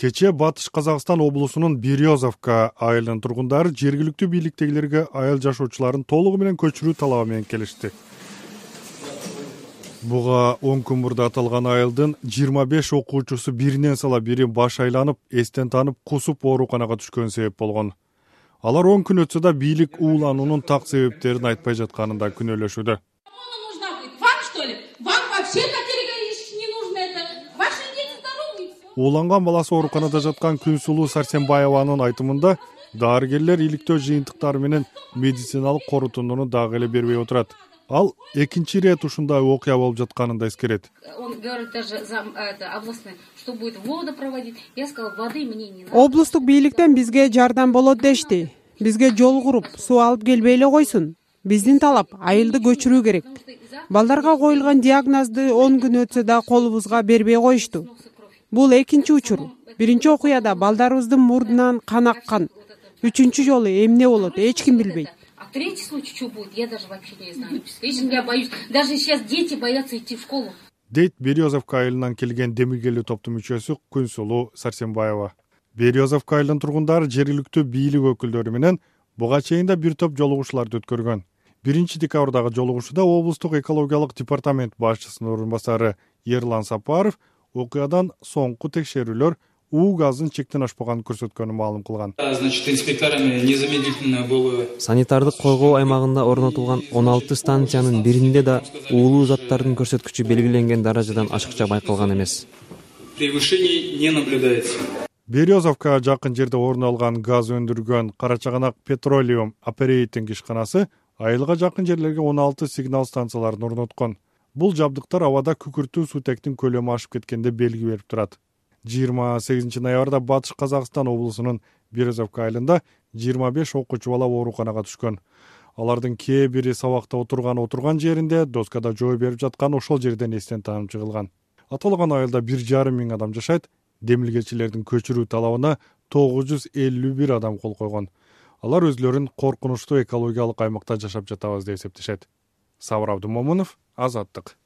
Кече Батыш Казакстан облусунун Березовка айылынын тургундары жергиликтүү бийликтегилерге айыл жашоочуларын толугу менен көчүрүү талабы менен келишти. Буга 10 күн мурда аталган айылдын 25 окуучусу биринен сала бири баш айланып, эстен танып, кусуп ооруканага түшкөн себеп болгон. Алар 10 күн өтсө да бийлик уулануунун так себептерин айтпай жатканын да күнөөлөшүүдө. Ууланган баласы ооруканада жаткан Күнсулуу Сарсенбаеванын айтымында дарыгерлер иликтөө жыйынтыктары менен медициналык корутууну дагы эле бербей отурат. Ал экинчи ирет ушундай окуя болуп жатканын да эскерет. Он говорит даже за областной, что будет воду проводить. Я сказала, воды мне не надо. Облустук бийликтен бизге жардам болот дешти. Бизге жол куруп, суу алып келбей эле койсун. Биздин талап айылды көчүрүү керек. Балдарга коюлган диагнозду 10 күн өтсө да колубузга бербей коюшту. Бул экинчи учур. Биринчи окуяда балдарыбыздын мурдунан кан аккан. Үчүнчү жолу эмне болот, эч ким билбейт. А третий случай что будет, я даже вообще не знаю. Я боюсь. Даже сейчас дети боятся идти в школу. Дейт Березовка айылынан келген демиргелүү топтун мүчөсү Күнсулуу Сарсенбаева. Березовка айылынын тургундары жергиликтүү бийлик өкүлдөрү менен буга чейин да бир топ жолугушууларды өткөргөн. 1-декабрдагы жолугушууда облустук экологиялык департамент башчысынын орун басары Ерлан Сапаров окуядан соңку текшерүүлөр уу газын чектен ашпаганын көрсөткөнүн маалым кылган. Значит, инспекторами незамедлительно было санитардык койгоо аймагында орнотулган 16 станциянын биринде да уулуу заттардын көрсөткүчү белгиленген даражадан ашыкча байкалган эмес. Превышений не наблюдается. Березовка жакын жерде орун алган газ өндүргөн Карачагынак Petroleum Operating ишканасы айылга жакын жерлерге 16 сигнал станцияларын орноткон. Бул жабдыктар абада күкүртүү суутектин көлөмү ашып кеткенде белги берип турат. 28 ноябрда Батыш Казакстан облусунун Березовка айылында 25 окуучу бала ооруканага түшкөн. Алардын кээ бири сабакта отурган жеринде доскада жөө берип жаткан ошол жерден эстен таанып чыгылган. Аталган айылда 1,5 миң адам жашайт. Демилгечилердин көчүрүү талабына 951 адам кол койгон. Алар өзлөрүн коркунучтуу экологиялык аймакта жашап жатабыз деп эсептешет. Сабыр Абдумомунов, Азаттык.